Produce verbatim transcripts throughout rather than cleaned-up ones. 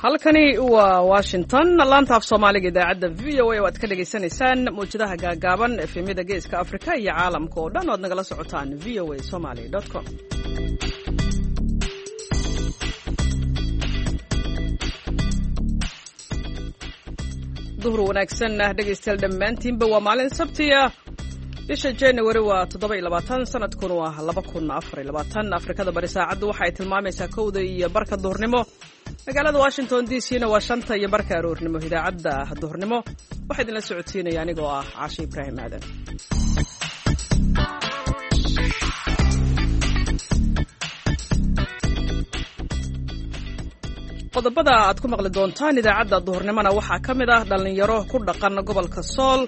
Halkani waa Washington, laanta af Soomaaliga idaacadda V O A oo aad ka dhagaysanaysaan mawjadaha gaagaaban, efemyada Geeska Afrika iyo caalamka oo dhan o aad nagala socotaan V O A Somali com. Duhur wanaagsan dhegaystayaal dhammaantiinba. Waa maalin Sabtiya, bisha January waa toddoba iyo labaatan, sanadkuna waa laba kun afar iyo labaatan. Afrikada Bari saacaddu waxa ay tilmaamaysaa kowda iyo barka duhurnimo, magaalada Washington D C na waa shanta iyo barka aroornimo. Idaacadda duhurnimo waxaa idinla socodsiinaya anigoo ah Caashe Ibraahim Aadan. Qodobada aad ku maqli doontaan idaacadda duhurnimona waxaa ka mid ah dhallinyaro ku dhaqan gobolka Sool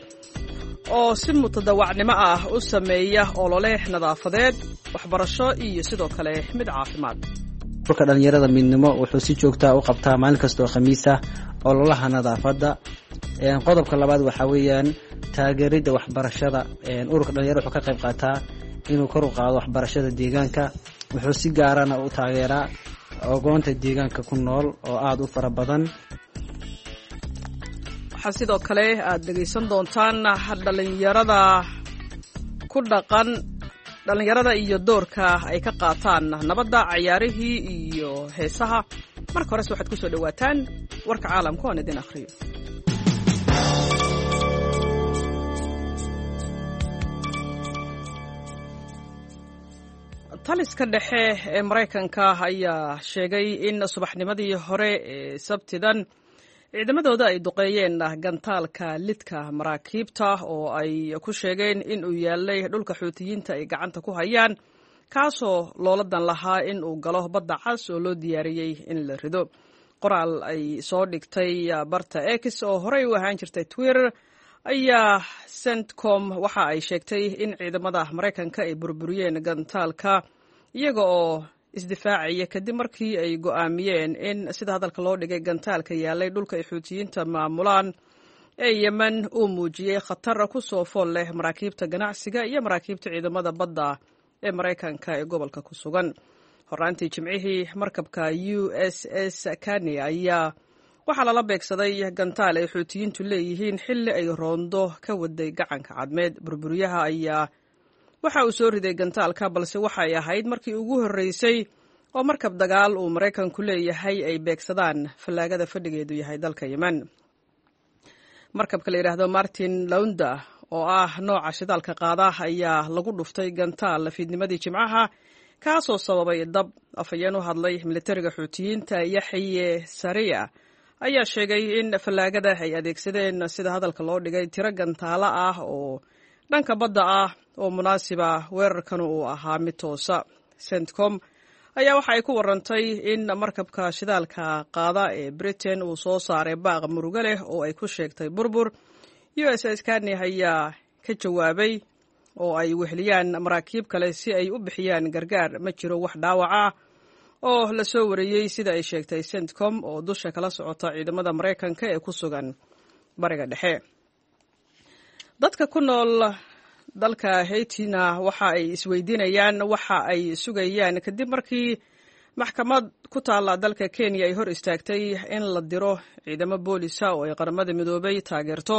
oo si mutadawacnimo ah u sameeya olole nadaafadeed, waxbarasho iyo sidoo kale mid caafimaad. Urka dhalinyarada Midnimo wuxuu si joogtaa u qabtaa maalin kastoo Khamiisa ololaha nadaafadda. Qodobka labaad waxaa weeyaan taageeridda waxbarashada. Ururka dhalinyarada wuxuu ka qayb qaataa inuu kor u qaado waxbarashada deegaanka. Wuxuu si gaarana u taageeraa ogoonta deegaanka ku nool oo aada u fara badan. Waxaa sidoo kale aad dhegaysan doontaan dhalinyarada ku dhaqan dhallinyarada iyo doorka ay ka qaataan nabadda, cayaarihii iyo heesaha. Marka horese waxaad ku soo dhowaataan warka caalamka oon idin akhriyo. Taliska dhexe ee Maraykanka ayaa sheegay in subaxnimadii hore ee Sabtidan ciidamadooda ay duqeeyeen gantaalka lidka maraakiibta oo ay ku sheegeen in uu yaalay dhulka Xuutiyiinta ay gacanta ku hayaan, kaasoo loola dan lahaa in uu galo Badda Cas oo loo diyaariyey in la rido. Qoraal ay soo dhigtay barta X oo horey u ahaan jirtay Twitter ayaa CENTCOM waxa ay sheegtay in ciidamada Maraykanka ay burburiyeen gantaalka iyaga oo isdifaacaya, kadib markii ay go'aamiyeen in, sida hadalka loo dhigay, gantaalka yaalay dhulka ay Xuutiyiinta maamulaan ee Yemen uu muujiyey khatar ku soo fool leh maraakiibta ganacsiga iyo maraakiibta ciidamada badda ee Maraykanka ee gobolka ku sugan. Horraantii Jimcihii, markabka U S S Carney ayaa waxaa lala beegsaday gantaal ay Xuutiyiintu leeyihiin xilli ay roondo ka waday Gacanka Cadmeed. Burburiyaha ayaa waxa uu soo riday gantaalka, balse waxay ahayd markii ugu horreysay oo markab dagaal uu Maraykanku leeyahay ay beegsadaan fallaagada fadhigeedu yahay dalka Yemen. Markabka la yidhaahdo Martin Lounda oo ah nooca shidaalka qaada ayaa lagu dhuftay gantaal fiidnimadii Jimcaha, kaasoo sababay dab. Afhayeen u hadlay militariga Xuutiyiinta, Yaxye Sariya, ayaa sheegay in fallaagada ay adeegsadeen, sida hadalka loo dhigay, tiro gantaalo ah oo dhanka badda ah oo munaasiba, weerarkan uu ahaa mid toosa. CENTCOM ayaa waxa ay ku warantay in markabka shidaalka qaada ee Britain uu soo saaray baaq murugo leh oo ay ku sheegtay burbur. U S S Carney ayaa ka jawaabay oo ay weheliyaan maraakiib kale si ay u bixiyaan gargaar. Ma jiro wax dhaawac ah oo la soo wariyey, sida ay sheegtay CENTCOM oo dusha kala socota ciidamada Maraykanka ee ku sugan Bariga Dhexe. Dadka ku nool dalka Haitina waxa ay isweydiinayaan waxa ay sugayaan kadib markii maxkamad ku taalla dalka Kenya ay hor istaagtay in la diro ciidamo boolisa oo ay Qaramada Midoobay taageerto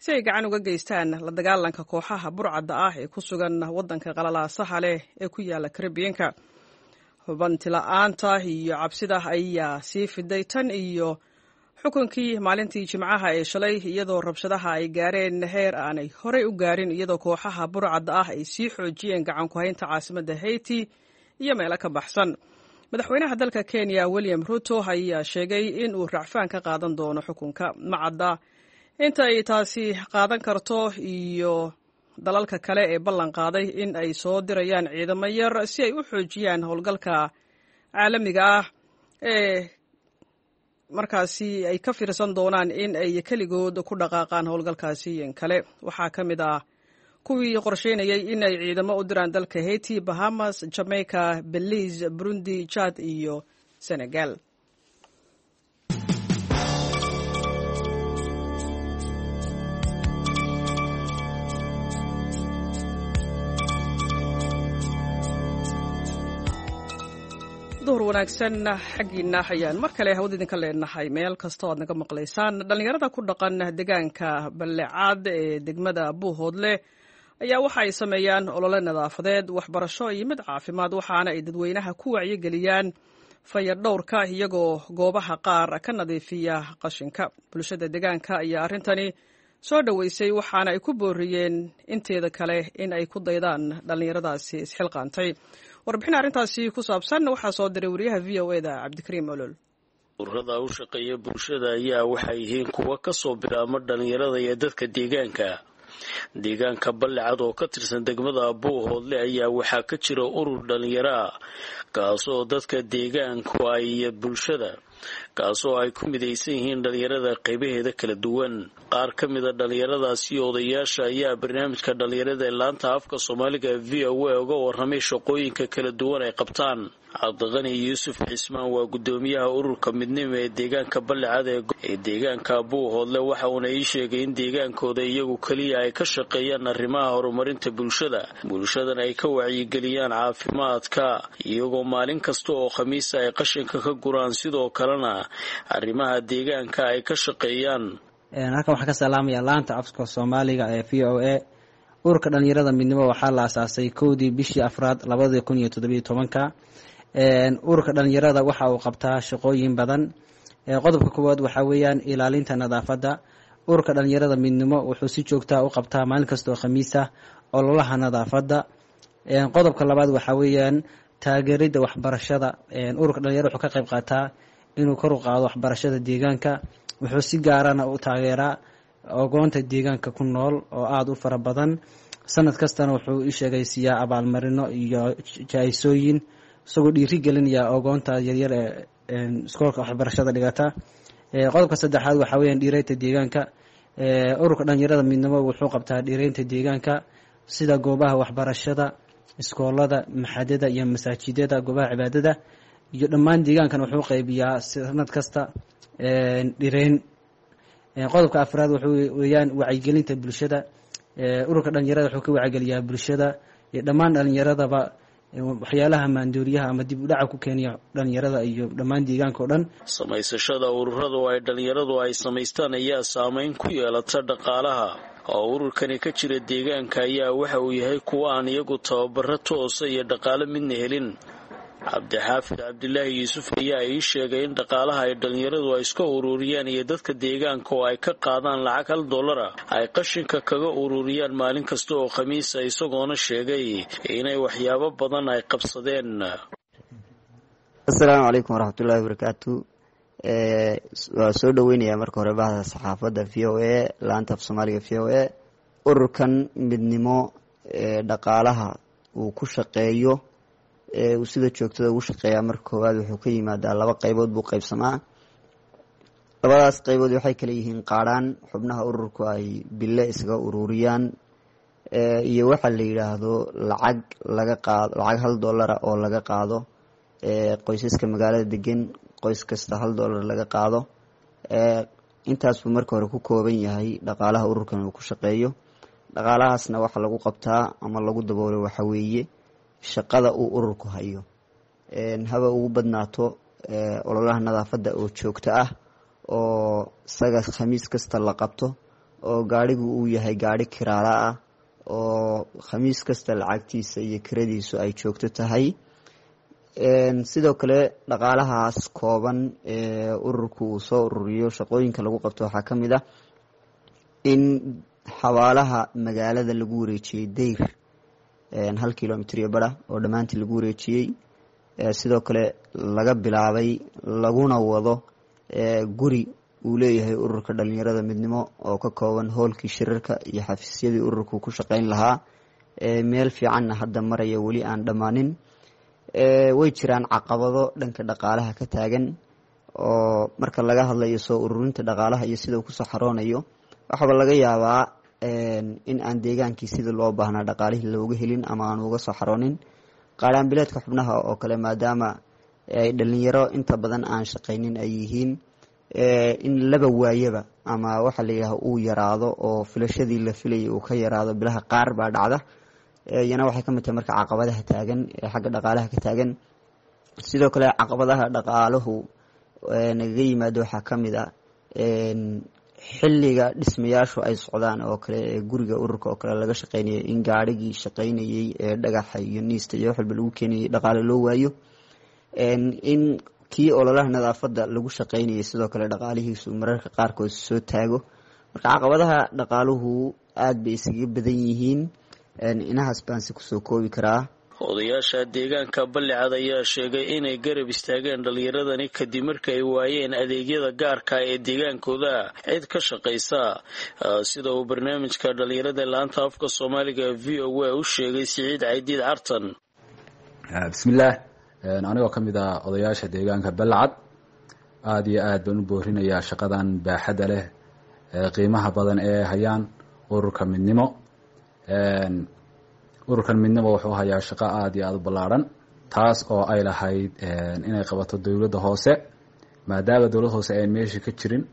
si ay gacan uga geystaan la dagaalanka kooxaha burcadda ah ee ku sugan waddanka qalalaasaha leh ee ku yaala Karibiyanka. Hubanti la-aanta iyo cabsida ayaa sii fiday tan iyo xukunkii maalintii Jimcaha ee shalay, iyadoo rabshadaha ay gaareen heer aanay horey u gaarin, iyadoo kooxaha burcadda ah ay sii xoojiyeen gacan ku haynta caasimadda Haiti iyo meelo ka baxsan. Madaxweynaha dalka Kenya William Ruto ayaa sheegay in uu racfaan ka qaadan doono xukunka. Macadda inta ay taasi qaadan karto iyo dalalka kale ee ballan qaaday in ay soo dirayaan ciidamo yar si ay u xoojiyaan howlgalka caalamiga ah ee markaasi ay ka fiirsan doonaan in ay keligood ku dhaqaaqaan howlgalkaasi in kale. Waxaa ka mid ah kuwii qorsheynayay in ay ciidamo u diraan dalka Haiti Bahamas, Jamaica, Belize, Burundi, Chad iyo Senegal. Duhur wanaagsan xaggiina ayaan mar kale hawada idinka leenahay meel kasta oo aad naga maqlaysaan. Dhallinyarada ku dhaqan deegaanka Ballecaad ee degmada Buuhoodle ayaa waxa ay sameeyaan olole nadaafadeed, waxbarasho iyo mid caafimaad, waxaana ay dadweynaha ku wacyigeliyaan fayadhowrka iyagoo goobaha qaar ka nadiifiya qashinka. Bulshada deegaanka ayaa arrintani soo dhoweysay, waxaana ay ku booriyeen inteeda kale in ay ku daydaan dhallinyaradaasi isxilqaantay. Warbixin arrintaasi ku saabsan waxaa soo diray wariyaha V O e da Cabdikariim Olol. Ururada u shaqeeya bulshada ayaa waxay yihiin kuwa kasoo bilaabma dhalinyarada iyo dadka deegaanka. Deegaanka Ballecad oo ka tirsan degmada Buuhoodle ayaa waxaa ka jira urur dhalinyaro ah, kaasoo dadka deegaanku ay iyo bulshada, kaasoo ay ku midaysan yihiin dhalinyarada qaybaheeda kala duwan. Qaar ka mida dhalinyaradaasi odayaasha ayaa barnaamijka dhalinyarada ee laanta afka Soomaaliga V O A uga warramay shaqooyinka kala duwan ay qabtaan. Cabdiqani Yuusuf Cismaan waa guddoomiyaha ururka Midnimo ee deegaanka Ballecad ee deegaanka Buuhoodle, waxa uuna ii sheegay in deegaankooda iyagu keliya ay ka shaqeeyaan arrimaha horumarinta bulshada, bulshadan ay ka wacyigeliyaan caafimaadka, iyagoo maalin kasta oo khamiisa ay qashinka ka guraan, sidoo kalena arrimaha deegaanka ay ka shaqeeyaan. Halkan waxaan ka salaamaya laanta afka Soomaaliga ee V O A. Ururka dhalinyarada Midnimo waxaa la asaasay kowdii bishii afraad labadii kun iyo toddobiyo tobanka. Ururka dhalinyarada waxa uu qabtaa shaqooyin badan. Qodobka koowaad waxaa weeyaan ilaalinta nadaafadda. Ururka dhalinyarada Midnimo wuxuu si joogtaa u qabtaa maalin kastoo khamiisa ololaha nadaafadda. Qodobka labaad waxaa weeyaan taageeridda waxbarashada. Ururka dhalinyarada wuxuu ka qayb qaataa inuu kor u qaado waxbarashada deegaanka. Wuxuu si gaarana u taageeraa ogoonta deegaanka ku nool oo aada u fara badan. Sanad kastana wuxuu i sheegay siiyaa abaalmarino iyo jaa-isooyin, isagoo dhiiri gelinaya ogoonta yaryar ee iskoolka waxbarashada dhigata. Qodobka saddexaad waxaa weyaan dhiireynta deegaanka. Ururka dhalinyarada Midnimo wuxuu qabtaa dhiireynta deegaanka, sida goobaha waxbarashada, iskoolada, maxadada iyo masaajidada, goobaha cibaadada iyo dhammaan deegaankan wuxuu qaybiyaa sanad kasta dhireyn. Qodobka afraad wuxuu weeyaan wacyigelinta bulshada. Ururka dhalinyarada wuxuu ka wacyigeliyaa bulshada iyo dhammaan dhalinyaradaba waxyaalaha maandooriyaha ama dib u dhaca ku keenaya dhalinyarada iyo dhammaan deegaanka o dhan. Samaysashada ururadu ay dhalinyaradu ay samaystaan ayaa saameyn ku yeelata dhaqaalaha oo ururkani ka jira deegaanka ayaa waxa uu yahay kuwa aan iyagu tababaro toosa iyo dhaqaale midna helin. Cabdixaafid Cabdilaahi Yuusuf ayaa ii sheegay in dhaqaalaha ay dhalinyaradu ay iska ururiyaan iyo dadka deegaanka oo ay ka qaadaan lacag hal dollara ay qashinka kaga ururiyaan maalin kasta oo khamiisa, isagoona sheegay inay waxyaabo badan ay qabsadeen. Asalaamu calaykum waraxmatullahi wabarakaatu. Waa soo dhoweynayaa marka hore bahda saxaafadda V O A, laanta af Soomaaliga V O A. Ururkan Midnimo dhaqaalaha uu ku shaqeeyo, uu sida joogtada ugu shaqeeyaa, marka koowaad wuxuu ka yimaadaa laba qaybood buu qaybsamaa. Labadaas qaybood waxay kala yihiin qaadhaan xubnaha ururku ay bille isaga ururiyaan iyo waxa la yidhaahdo lacag laga qaado, lacag hal dollara oo laga qaado qoysaska magaalada degan, qoys kasta hal dollar laga qaado. Intaas buu marka hore ku kooban yahay dhaqaalaha ururkan uu ku shaqeeyo. Dhaqaalahaasna waxa lagu qabtaa ama lagu daboolo waxa weeye shaqada uu ururku hayo, haba ugu badnaato ololaha nadaafadda oo joogto ah oo isaga khamiis kasta la qabto, oo gaadhigu uu yahay gaadhi kiraala ah oo khamiis kasta lacagtiisa iyo kiradiisu ay joogto tahay. Sidoo kale dhaqaalahaas kooban ee ururku uu soo ururiyo shaqooyinka lagu qabto waxaa ka mid ah in xabaalaha magaalada lagu wareejiyey dayr hal kilomitr iyo bara oo dhammaantii lagu wareejiyey. Sidoo kale laga bilaabay laguna wado guri uu leeyahay ururka dhalinyarada Midnimo oo ka kooban hoolkii shirarka iyo xafiisyadii ururku ku shaqeyn lahaa, meel fiicanna hadda maraya, weli aan dhammaanin. Way jiraan caqabado dhanka dhaqaalaha ka taagan oo marka laga hadlayo soo ururinta dhaqaalaha iyo sida uu kusoo xaroonayo, waxaaba laga yaabaa in aan deegaankii sidii loo baahnaa dhaqaalihii looga helin ama aan uga soo xaroonin. Qaadhaanbileedka xubnaha oo kale, maadaama ay dhalinyaro inta badan aan shaqaynin ay yihiin, in laba waayaba ama waxa la yidhaha uu yaraado oo filashadii la filayay uu ka yaraado bilaha qaar baa dhacda. Iyana waxay ka mid tahay marka caqabadaha taagan ee xagga dhaqaalaha ka taagan. Sidoo kale caqabadaha dhaqaaluhu nagaga yimaado waxaa ka mid ah xilliga dhismayaashu ay socdaan oo kale ee guriga ururka oo kale laga shaqeynayay, in gaarhigii shaqeynayay ee dhagaxa iyo niista iyo wax walba lagu keenayay dhaqaale loo waayo, in kii ololaha nadaafadda lagu shaqeynayay sidoo kale dhaqaalihiisu mararka qaarkood soo taago. Marka caqabadaha dhaqaaluhu aada bay iskaga badan yihiin, inahaas baan si kusoo koobi karaa. Odayaasha deegaanka Ballicad ayaa sheegay inay garab istaageen dhallinyaradani kadib marka ay waayeen adeegyada gaarka ee deegaankooda cid ka shaqaysa, sida uu barnaamijka dhallinyarada laanta afka Soomaaliga V O A u sheegay Siciid Caydiid Cartan. Bismillaah, anigoo ka mid ah odayaasha deegaanka Ballicad, aada iyo aad baan u boorinayaa shaqadan baaxadda leh qiimaha badan ee hayaan ururka Midnimo. Ururkan Midnimo wuxuu hayaa shaqo aada iyo aada u ballaarhan, taas oo ay lahayd inay qabato dowladda hoose. Maadaama dowladda hoose ayan meesha ka jirin,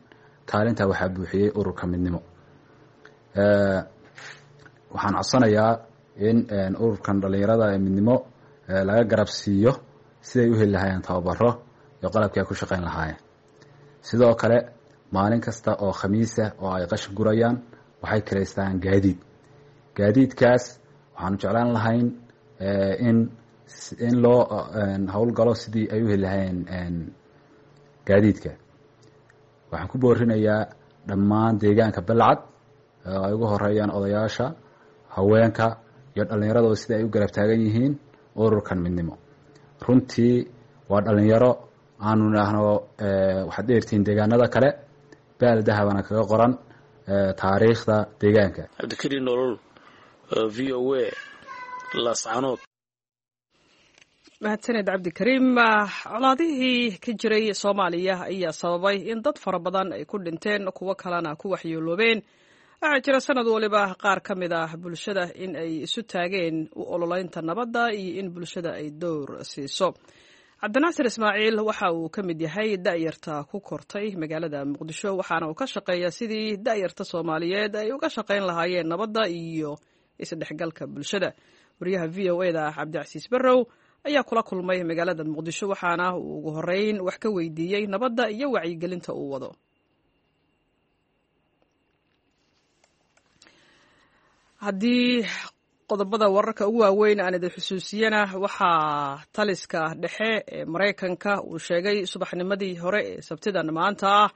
kaalintaa waxaa buuxiyey ururka Midnimo. Waxaan codsanayaa in ururkan dhalinyarada ee Midnimo laga garab siiyo siday u heli lahaayeen tababaro iyo qalabkii ay ku shaqeyn lahaayeen. Sidoo kale maalin kasta oo khamiisa oo ay qashin gurayaan waxay kireystaan gaadiid. Gaadiidkaas waxaanu jeclaan lahayn in in loo howlgalo sidii ay u heli lahaayeen gaadiidka. Waxaan ku boorinayaa dhammaan deegaanka Balcad oo ay ugu horeeyaan odayaasha, haweenka iyo dhallinyarada oo sidai ay u garab taagan yihiin ururkan Midnimo. Runtii waa dhalinyaro aanu idhaahno waxaad dheertihiin deegaanada kale, baal dahabana kaga qoran taariikhda deegaanka. Cabdikariin Nolol, V O A, Laascanood. Mahadsaned Cabdikariim. Colaadihii ka jiray Soomaaliya ayaa sababay in dad fara badan ay ku dhinteen, kuwo kalena ku waxyeeloobeen. Waxaa jira sanad waliba qaar ka mid ah bulshada in ay isu taageen u ololeynta nabadda iyo in bulshada ay dowr siiso. Cabdinaasir Ismaaciil waxa uu ka mid yahay da'yarta ku kortay magaalada Muqdisho, waxaana uu ka shaqeeyaa sidii da'yarta Soomaaliyeed ay uga shaqayn lahaayeen nabadda iyo isdhexgalka bulshada. Wariyaha V O A da Cabdicasiis Barrow ayaa kula kulmay magaalada Muqdisho, waxaana uu ugu horeyn wax ka weydiiyey nabadda iyo wacyigelinta uu wado. Haddii qodobada wararka ugu waaweyn aan idin xusuusiyana, waxaa taliska dhexe ee Maraykanka uu sheegay subaxnimadii hore ee Sabtidan maanta ah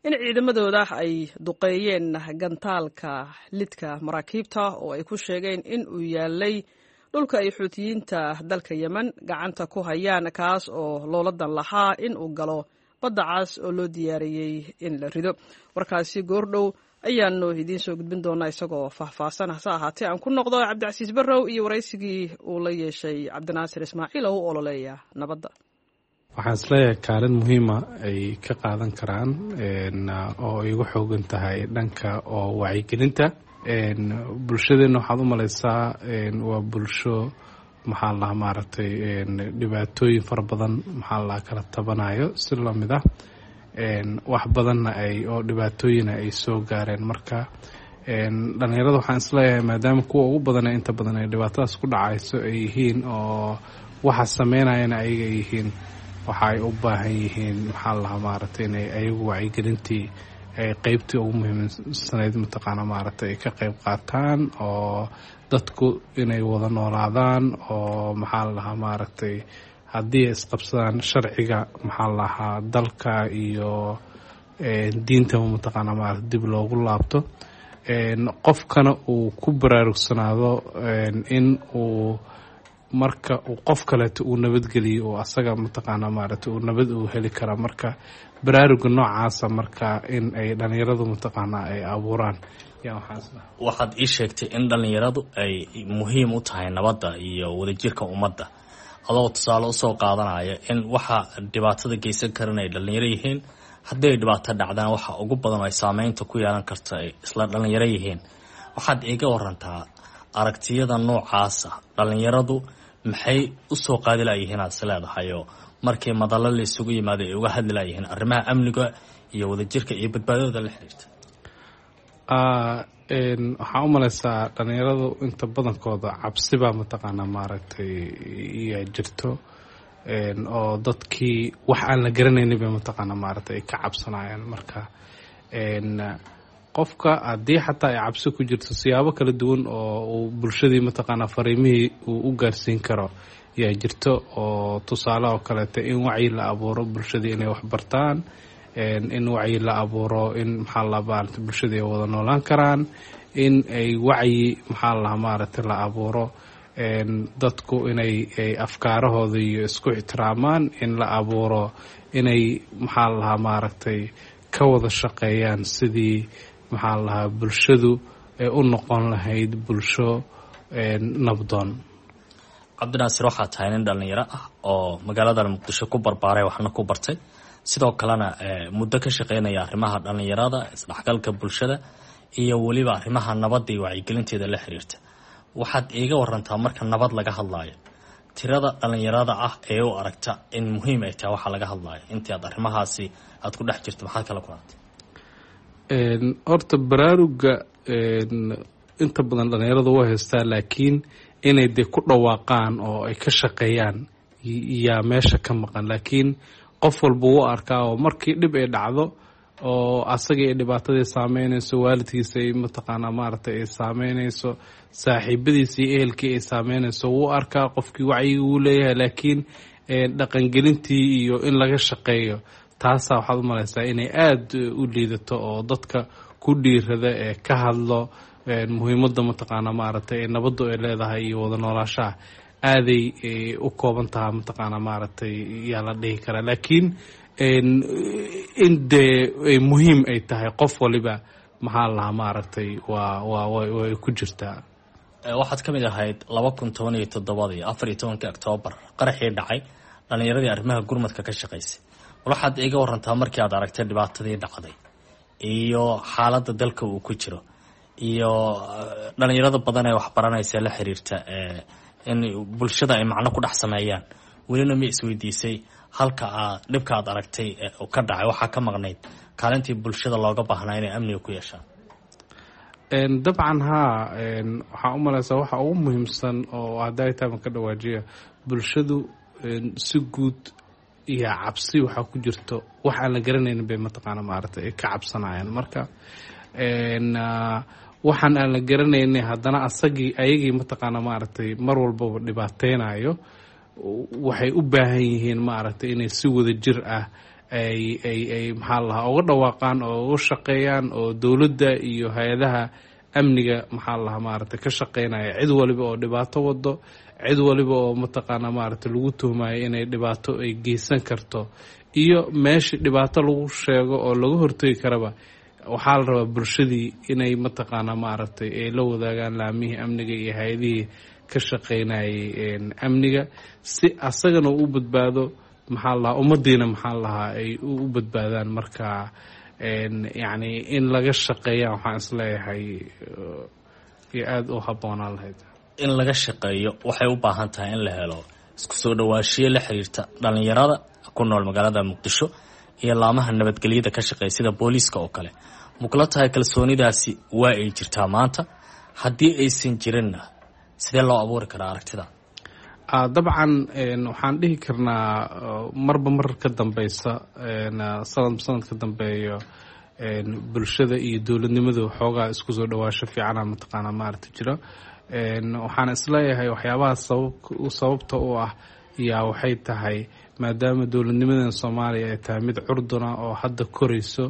in ciidamadooda ay duqeeyeen gantaalka lidka maraakiibta oo ay ku sheegeen in uu yaalay dhulka ay Xuutiyiinta dalka Yemen gacanta ku hayaan, kaas oo looladan lahaa in uu galo badda cas oo loo diyaariyey in la rido. Warkaasi goordhow ayaanu idiin soo gudbin doonaa isagoo faahfaahsan. Hase ahaatee aan ku noqdo Cabdicasiis Barrow iyo waraysigii uu la yeeshay Cabdinaasir Ismaaciil oo u ololeeya nabadda. Waxaan isleeyahay kaalin muhiima ay ka qaadan karaan oo ay ugu xoogan tahay dhanka oo wacyigelinta bulshadeenna. Waxaad u malaysaa waa bulsho maxaa la dhahaa maaragtay dhibaatooyin fara badan maxaa la kala tabanayo, si lamid ah wax badanna ay oo dhibaatooyina ay soo gaareen. Marka dhalinyarada waxaan isleeyahay maadaama kuwa ugu badana inta badan ay dhibaatadaas ku dhacayso ay yihiin oo waxa sameynayana ayaga ay yihiin, waxa ay u baahan yihiin maxaa la dhahaa maaragtay inay ayagu wacyigelintii ay qeybtii ugu muhiimsanayd mataqaana maaragtay ay ka qeyb qaataan, oo dadku inay wada noolaadaan, oo maxaa la dhahaa maaragtay haddii ay isqabsadaan sharciga maxaa la dhahaa dalka iyo diintaba mataqaana maaragtay dib loogu laabto, qofkana uu ku baraarugsanaado in uu marka uu qof kaleeto uu nabadgeliyo oo asaga mataqaana maaragtay uu nabad uu heli karaa. Marka baraaruga noocaasa marka in ay dhalinyaradu mataqaana ay abuuraan. Waxaad ii sheegtay in dhalinyaradu ay muhiim u tahay nabadda iyo wadajirka ummadda, adoo tusaale usoo qaadanaya in waxa dhibaatada geysan karan ay dhalinyaro yihiin, haddii ay dhibaato dhacdaan waxa ugu badan ay saameynta ku yeelan karta ay isla dhalinyaro yihiin. Waxaad iiga warantaa aragtiyada noocaasa dhalinyaradu maxay usoo qaadi layihiin aad is leedahay, oo markii madallo la isugu yimaado ay uga hadli layihiin arrimaha amniga iyo wadajirka iyo badbaadadooda la xiriirta? Waxaa u malaysaa dhalinyaradu inta badankooda cabsibaa mataqaanaa maaragtay iyo jirto, Oo dadkii wax aan la garanaynin bay mataqaana maaragtay ay ka cabsanayaan. Marka qofka haddii xataa ay cabsi ku jirto, siyaabo kala duwan oo uu bulshadii mataqaanaa fariimihii uu u gaarsiin karo yaa jirto. Oo tusaale oo kaleeta, in wacyi la abuuro bulshadii inay wax bartaan, in wacyi la abuuro in maxaa la maaragtay bulshadii ay wada noolaan karaan, in ay wacyi maxaa lahaa maaragtay la abuuro dadku inay afkaarahooda iyo isku ixtiraamaan, in la abuuro inay maxaa lahaa maaragtay ka wada shaqeeyaan sidii maxaa lahaa bulshadu ay u noqon lahayd bulsho nabdoon. Cabdinaasir, waxaa tahay nin dhallinyaro ah oo magaalada Muqdisho ku barbaaray, waxna ku bartay, sidoo kalena muddo ka shaqeynaya arrimaha dhallinyarada, isdhexgalka bulshada iyo weliba arrimaha nabadda iyo wacyigelinteeda la xiriirta. Waxaad iiga warantaa, marka nabad laga hadlaayo, tirada dhallinyarada ah ee u aragta in muhiim ay tahay waxaa laga hadlaayo. Intii aad arrimahaasi aad ku dhex jirto, maxaad kala kulantay? Horta baraaruga inta badan dhallinyarada waa haystaa, laakiin inay dee ku dhawaaqaan oo ay ka shaqeeyaan yaa meesha ka maqan. Laakiin qof walba wuu arkaa, oo markii dhib ay dhacdo oo asagii ay dhibaatadii saameynayso, waalidkiisa ay mataqaanaa maaragtay ay saameynayso, saaxiibadiisa iyo ehelkii ay saameynayso, wuu arkaa qofkii, wacyiga wuu leeyahay, laakiin dhaqangelintii iyo in laga shaqeeyo taasaa waxaad u malaysaa inay aada u liidato. Oo dadka ku dhiirada ee ka hadlo muhiimadda mataqaanaa maaragtay ee nabaddu ay leedahay iyo wada noolaashaha aaday u kooban taha mataqaanaa maaragtay yaa la dhihi karaa. Laakiin in dee ay muhiim ay tahay qof waliba maxaa lahaa maaragtay waa waa way ku jirtaa. Waxaad ka mid ahayd laba kun toban iyo toddobadii afar iyo tobankii Octoobar qaraxii dhacay dhallinyaradii arrimaha gurmadka ka shaqaysay. Bal waxaad iiga warantaa, markii aad aragtay dhibaatadii dhacday iyo xaaladda dalka uu ku jiro iyo dhalinyarada badan ee waxbaranaysa la xiriirta in bulshada ay macno ku dhex sameeyaan, welina ma isweydiisay halka aad dhibka aad aragtay ka dhacay waxaa ka maqnayd kaalintii bulshada looga baahnaa inay amniga ku yeeshaan? Dabcan haa, waxaa u malaysaa waxa ugu muhiimsan oo hadday taaban ka dhawaajiya bulshadu si guud iyo cabsi waxaa ku jirto wax aan la garanaynin bay mataqaana maaragtay ay ka cabsanayaan. Marka waxaan aan la garanaynay haddana asagii ayagii mataqaana maaragtay mar walbaba dhibaateynayo, waxay u baahan yihiin maaragtay inay si wada jir ah ay ay ay maxaa lahaa uga dhawaaqaan oo uga shaqeeyaan, oo dowladda iyo hay-adaha amniga maxaa lahaa maaragtay ka shaqeynaya cid waliba oo dhibaato wado, cid waliba oo mataqaana maaragtay lagu tuhmayo inay dhibaato ay geysan karto, iyo meeshii dhibaato lagu sheego oo laga hortegi karaba, waxaa la rabaa bulshadii inay mataqaana maaragtay ay la wadaagaan laamihii amniga iyo hay-adihii ka shaqeynayay amniga, si asagana u badbaado maxaa lahaa ummadiina maxaa lahaa ay u badbaadaan. Marka yacni in laga shaqeeya waxaan isleeyahay iyo aada u habboonaan lahayd. In laga shaqeeyo waxay u baahan tahay in la helo isku soo dhawaashiyo la xiriirta dhalinyarada ku nool magaalada Muqdisho iyo laamaha nabadgelyada ka shaqeeya sida booliiska oo kale. Makula tahay kalsoonidaasi waa ay jirtaa maanta? Haddii aysan jirinna, sidee loo abuuri karaa aragtida? Dabcan waxaan dhihi karnaa marba mar ka dambeysa, sanadba sanad ka dambeeyo, bulshada iyo dowladnimadu xoogaa isku soo dhawaasho fiicana mataqaana maaragta jiro. Waxaan isleeyahay waxyaabaha sabab sababta u ah yaa waxay tahay maadaama dowladnimadan Soomaaliya ay tahay mid curduna oo hadda korayso,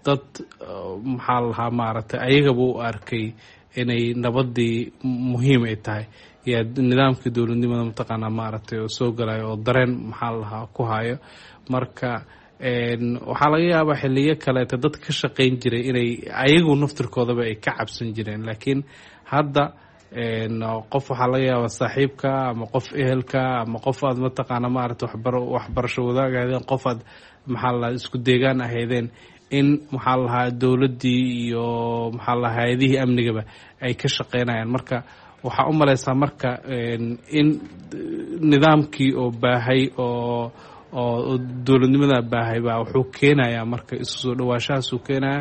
dad maxaa lahaa maaragtay ayagaba u arkay inay nabadii muhiim ay tahay, yaa nidaamkii dowladnimada mataqaanaa maaragtay oo soo galayo oo dareen maxaa lahaa ku hayo. Marka waxaa laga yaabaa xiliyo kaleeta dad ka shaqeyn jiray inay ayagu naftirkoodaba ay ka cabsan jireen, laakiin hadda qof waxaa laga yaabaa saaxiibka ama qof ehelka ama qof aad mataqaana maaragtay waxbar waxbarasho wadaag ahaydeen, qof aad maxaa lahaa isku deegaan ahaydeen, in maxaa lahaa dowladdii iyo maxaa lahaa hay-adihii amnigaba ay ka shaqeynayaan. Marka waxaa u malaysaa marka in nidaamkii oo baahay oo oo dowladnimada baahay baa wuxuu keenayaa marka isu soo dhawaashahaasuu keenaya.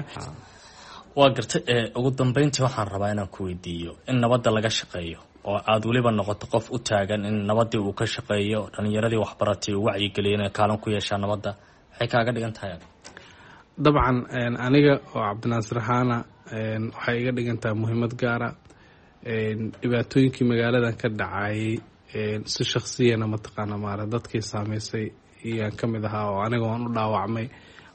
Waa gartay. Ugu dambeyntii waxaan rabaa inaan ku weydiiyo, in nabadda laga shaqeeyo oo aada weliba noqoto qof u taagan in nabadii uu ka shaqeeyo, dhalinyaradii waxbaratay uu wacyigeliyo inay kaalin ku yeeshaan nabadda, maxay kaaga dhigan tahay? Dabcan aniga oo Cabdinaasir ahaana waxay iga dhigan tahay muhiimad gaara. Dhibaatooyinkii magaaladan ka dhacay si shaksiyana mataqaana maara dadkii saameysay iyaan ka mid ahaa oo aniga waan u dhaawacmay.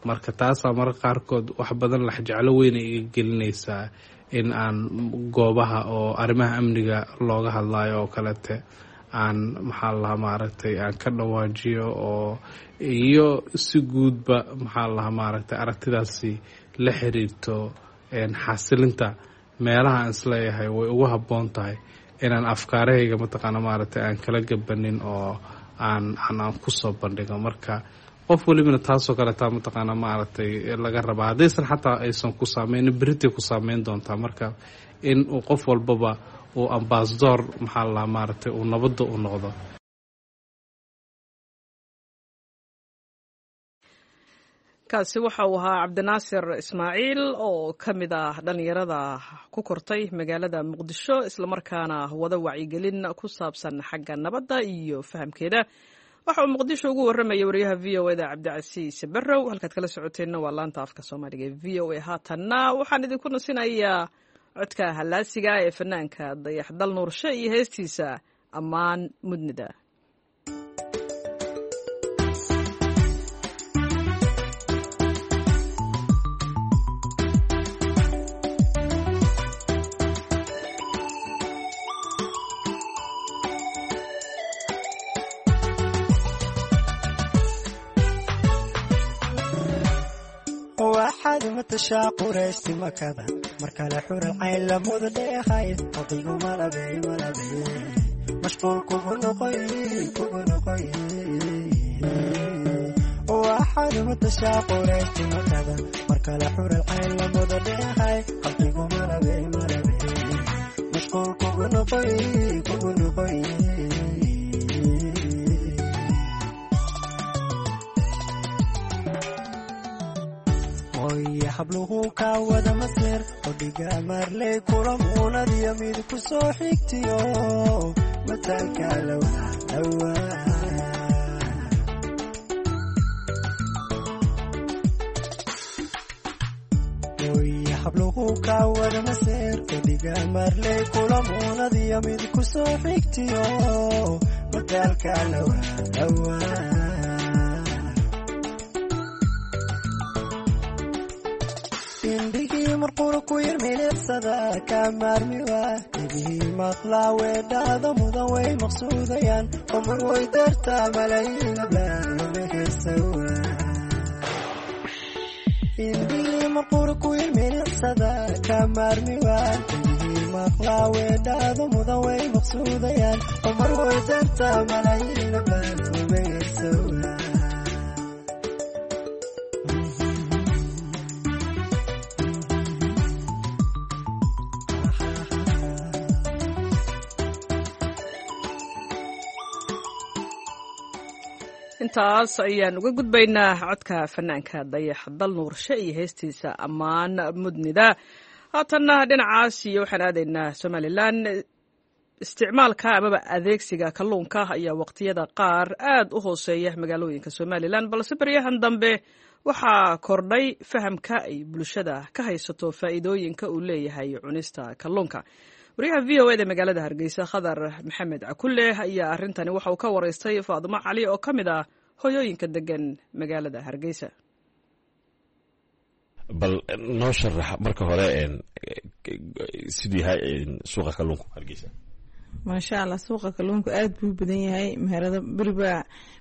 Marka taasaa mararka qaarkood wax badan laxjeclo weyna iga gelinaysaa in aan goobaha oo arrimaha amniga looga hadlayo oo kalete aan maxaa lahaa maaragtay aan ka dhawaajiyo, oo iyo si guudba maxaa lahaa maaragtay aragtidaasi la xiriirto xasilinta meelaha aan isleeyahay way ugu habboon tahay inaan afkaarahayga mataqaana maaragtay aan kala gabanin oo aan aan aan kusoo bandhigo. Marka qof welibana taasoo kaletaa mataqaana maaragtay laga rabaa, haddaysan xataa aysan ku saameynin beritay ku saameyn doontaa. Marka in uu qof walbaba uu ambasador maxaa la lahaa maaragtay uu nabadda u noqdo. Kaasi waxa uu ahaa Cabdinaasir Ismaaciil oo ka mid ah dhallinyarada ku kortay magaalada Muqdisho, islamarkaana wada wacyigelin ku saabsan xagga nabadda iyo fahamkeeda. Waxa uu Muqdisho ugu warramayay wariyaha V O eda Cabdicasiis Barrow. Halkaad kala socoteenna waa laanta afka Soomaaliga ee V O A. Haatanna waxaan idinku nasinayaa codka hallaasiga ee fanaanka Dayaxdal Nuurshe iyo heestiisa Ammaan Mudnida. Waxaad matashaa qurayshti Makada, markale xural cayn lamuda dheehay, qalbigu malabey malabey mashquul kugu noqoy kugu noqoy. Waxaad matashaa qurayshti Makada, markale xural cayn lamuda dheehay, qalbigu malabey malabey mashquul kugu noqoy kugu noqoy. Habluhu kaa wada masir odhiga marley kula muunadiyo mid ku soo xigtiyo mataalka lawa. Habluhu kaa wada masir odhiga marley kula muunadiyo mid ku soo xigtiyo mataalka lawa lawa. Indhigii marqura ku yar milicsada ka maarmiwa, dhegihii maqlaa weedhaada mudan way maqsuudayaan, qomar way dartaa malayiin ablaamahesawa. Indhigii marqura ku yar milicsada ka maarmiwa, dhegihii maqlaa weedhaada mudan way maqsuudayaan, qomar way dartaa malayiin ablaamahesawa. Intaas ayaan uga gudbaynaa codka fanaanka Dayax Dal Nuurshe iyo heestiisa Ammaan Mudnida. Haatanna dhinacaas iyo waxaan aadaynaa Somalilan. Isticmaalka amaba adeegsiga kalluunka ayaa waqtiyada qaar aad u hooseeya magaalooyinka Somalilan, balse baryahan dambe waxaa kordhay fahamka ay bulshada ka haysato faa'iidooyinka uu leeyahay cunista kalluunka. Wariyaha V O eda magaalada Hargeysa Khadar Maxamed Cakulle ayaa arrintani waxa uu ka waraystay Faadimo Cali oo ka mid ah hoyooyinka degan magaalada Hargeysa. Bal noo sharax marka hore siduu yahay suuqa kalluunka Hargeysa. Maasha Allah, suuqa kalluunka aada buu badan yahay. Meherado beribaa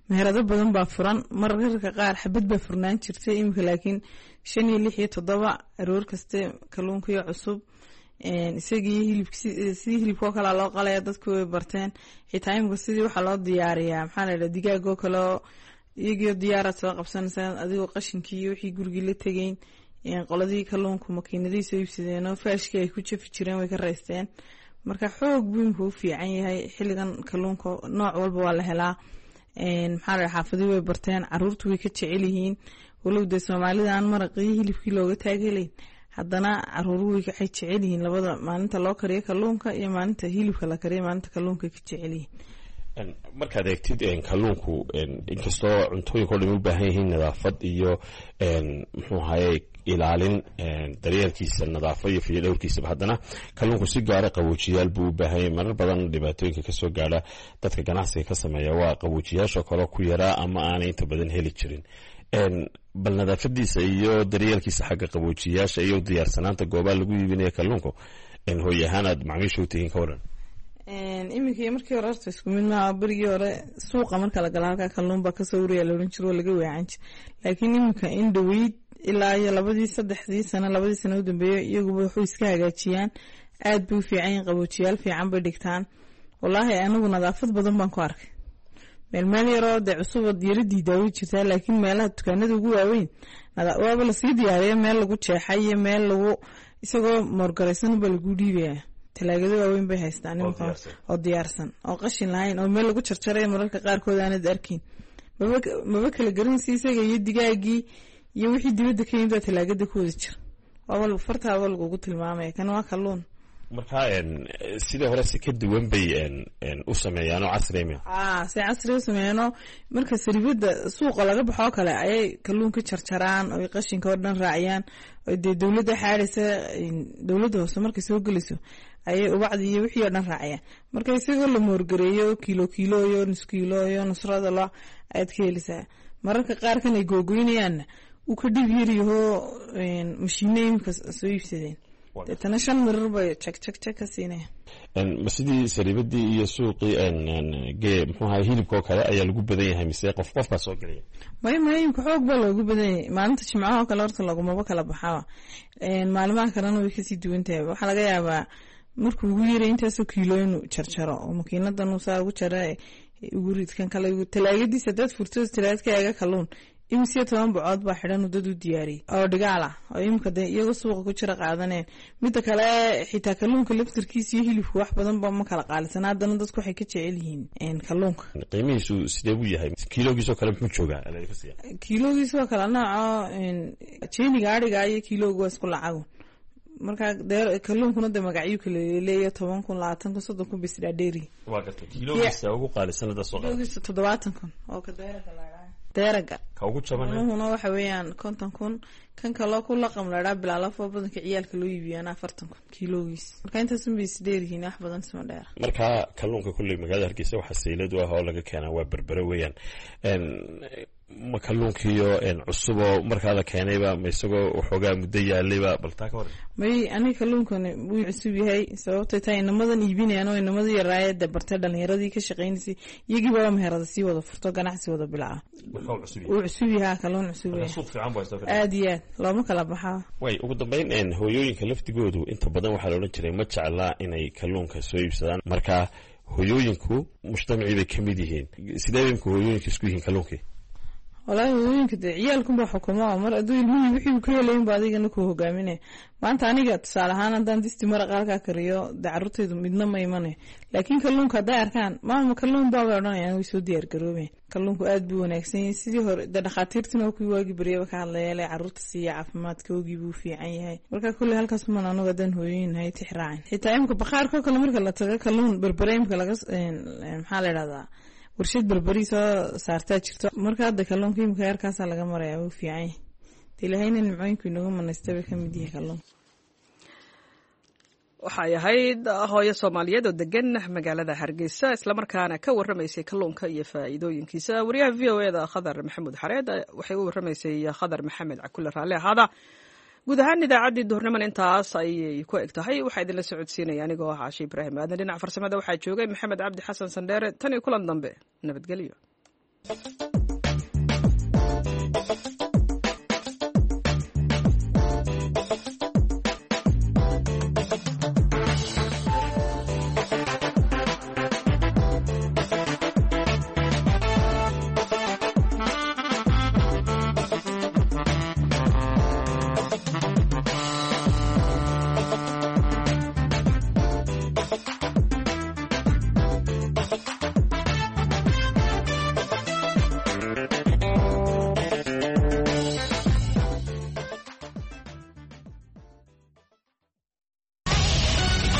meherado badan baa furan. Mararka qaar xabad baa furnaan jirtay, iminka laakiin shan iyo lix iyo toddoba aroor kaste kalluunkiyo cusub, isagii hilib sidii hilibkoo kalea loo qalaya, dadku way barteen. Xitaa imika sidii waxaa loo diyaariyaa maxaa la yidhaha digaagoo kale oo iyagiyo diyaaraad soo qabsanaysaa, adigoo qashinkii iyo wixii gurigii la tegeyn. Qoladii kalluunku makiinadihii soo iibsadeenoo faashkii ay ku jafi jireen way ka raysteen. Marka xoog buu imika u fiican yahay xilligan, kalluunka nooc walba waa la helaa. Maxaa la yidhaha xaafadii way barteen, caruurtu way ka jecel yihiin, walow dee Soomaalida aan maraqii hilibkii looga taagelayn, Haddana caruuruhu waxay jecel yihiin labada maalinta loo kariyo kalluunka iyo maalinta hilibka la kariyo, maalinta kalluunka ka jecel yihiin. Markaad eegtid kalluunku, inkastoo cuntooyinka o dhan u baahan yihiin nadaafad iyo muxuu ahaye ilaalin daryeelkiisa, nadaafad iyo fiyodhowrkiisaba, haddana kalluunku si gaara qaboojiyaal buu u baahan yahay. Marar badan dhibaatooyinka kasoo gaadha dadka ganacsiga ka sameeya waa qaboojiyaasha kaloo ku yaraa ama aanay inta badan heli jirin. Bal nadaafadiisa iyo daryeelkiisa xagga qaboojiyaasha iyo diyaarsanaanta goobaha lagu iibinaya kalluunku, hooy ahaan aad macmiisha u tihiin, ka waran? Iminka iyo markii hore horta isku mid maaha. Berigii hore suuqa marka la gala halkaa kalluun baa kasoo uraya la ohan jiro, oo laga weecan jir. Laakiin iminka in dhaweyd ilaa iyo labadii saddexdii sano, labadii sano u dambeeyay, iyaguba wuxuu iska hagaajiyaan, aad bay u fiican yihin, qaboojiyaal fiican bay dhigtaan. Wallaahi anigu nadaafad badan baan ku arkay. Meel meel yaroo dee cusubad yara diidaa way jirtaa, laakiin meelaha dukaanada ugu waaweyn waaba lasii diyaariya, meel lagu jeexay iyo meel lagu isagoo moorgaraysan baa lagu dhiibayaa. Talaagado waaweyn bay haystaan iminka oo diyaarsan oo qashin lahayn oo meel lagu jarjaray mararka qaarkood aanad arkin, maba maba kala garanaysa isaga iyo digaagii iyo wixii dibadda ka yimid baa talaagada ku wada jira. Waaba fartaaba lagugu tilmaamaya kan waa kalluun. Marka sidii hore si ka duwan bay u sameeyaan oo casri. A si casri u sameeyaanoo marka saribada suuqa laga baxoo kale ayay kalluunka jarjaraan oy qashinka oo dhan raaciyaan, oo dee dowladda xaadhaysa, dowladda hoose markay soo gelayso ayay ubacdii iyo wixii oo dhan raaciyaan. Marka isagoo la moorgareeyo kiilo kiilo iyo nus kiilo iyo nusrada lo ayaad ka helaysaa. Mararka qaarkan ay googoynayaanna uu ka dhib yaryahoo mashiino imika soo iibsadeen, deetana shan mirar bay jag jag jag ka siinaya. Ma sidii sariibadii iyo suuqii ge muxuu ahay hilibka oo kale ayaa lagu badan yahay, mise qof qof baa soo gelaya? May may, imka xoog baa loogu badan yahay. Maalinta jimcaha oo kale horta lagumaba kala baxaba, maalimaha kalena way kasii duwan tahay. Waxaa laga yaabaa markuu ugu yaray intaasoo kiilo inuu jarjaro oo makiinadan uu saa ugu jara ugu ridkan kale talaagadiisa. Hadaad furto talaagad ka eega kalluun imisiyo toban bocood baa xidhan dad u diyaariyey oo dhigaal ah oo imika de iyagoo suuqa ku jira qaadaneen. Midda kale xitaa kalluunka laftarkiisa iyo hilibka wax badan ba ma kala qaalisan, haddana dadku waxay ka jecel yihiin kalluunka. Qiimihiisu sidee buu yahay? Kiiloogiisoo kale muxuu joogaa? Kiiloogiisoo kale nooco jeeniga adhiga iyo kiilooga waa isku lacagun. Marka dee kalluunkuna de magacyo kala leeya, toban kun, labaatan kun, soddon kun bis dhaadheeri. Waa gartay. Kiiloogiisa ugu qaalisan hadda soo qaado? Kiiloogiisa toddobaatan kun oo ka deeraga la deeraga. Ka ugu jaban nuhuna waxa weeyaan konton kun. Kan kaloo ku laqam laydhaa bilaalafo badanka ciyaalka loo iibiyaana afartan kun kiiloogiis. Marka intaasun bay isdheeryihiin, wax badan isma dheera. Marka kalluunka kulley magaalada Hargeysa waxaa saylad u ah oo laga keenaa waa Berbere weeyaan. Ma kalluunkiiyo cusuboo markaa la keenayba, ma isagoo waxoogaa muddo yaalayba? Bal taa ka hor. May, aniga kalluunkani wuu cusub yahay, sababtay tahay inamadan iibinayaan oo inamadii yaraaya dee bartay dhalinyaradii ka shaqaynaysay, iyagii baba meherada sii wada furto, ganacsi wada bilaa. Wuu cusub yahaa, kalluun cusub yahay. Suuq fiican buu haystaa. Aad iyo aad looma kala baxaa. Way ugu dambeyn, hooyooyinka laftigoodu inta badan waxaa la odhan jiray ma jeclaa inay kalluunka soo iibsadaan. Marka hooyooyinku mujtamacii bay ka mid yihiin, sidee bay imka hooyooyinka isku yihiin kalluunkii? Wallaahi hooyooyinka dee ciyaalkunbaa xukumo, mar hadduu ilmihii wixii uu ka helayin ba adigana ku hogaaminaya. Maanta aniga tusaale ahaan haddaan disti maraqa halkaa kariyo, dee carruurtaydu midna ma imanayo, laakiin kalluunka hadday arkaan maama kalluun baa bay odhanayaan, way soo diyaar garoobayan. Kalluunku aad buu wanaagsan yahay. Sidii hore dee dhakhaatiirtina oo kuwii waagii baryaba ka hadlaya le carruurta siiya, caafimaadka oogii buu fiican yahay. Marka kulley halkaas uman anugu haddaan hooyooyin nahay tix raacin. Xitaa imka bakhaarkoo kale marka la tago kalluun Berbere imka laga maxaa la idhahdaa warshad Berberi soo saartaa jirto. Marka hadda kalluunka imika heerkaasaa laga maraya, wuu fiican yahay. De ilaahayna nimcooyinku inooga manaystay bay ka mid yahay kalluunka. Waxay ahayd hooyo Soomaaliyeed oo degan magaalada Hargeysa, islamarkaana ka warramaysay kalluunka iyo faa'iidooyinkiisa. Wariyaha V O E da Khadar Maxamuud Xareed waxay u warramaysay Khadar Maxamed Cakulle. Raalle ahaada. Guud ahaan idaacaddii duhurniman intaas ayay ku eg tahay. Waxaa idinla socodsiinaya anigoo ah Caashe Ibraahim Aadan. Dhinaca farsamada waxaa joogay Maxamed Cabdi Xasan Sandheere. Tan iyo kulan dambe, nabadgelyo.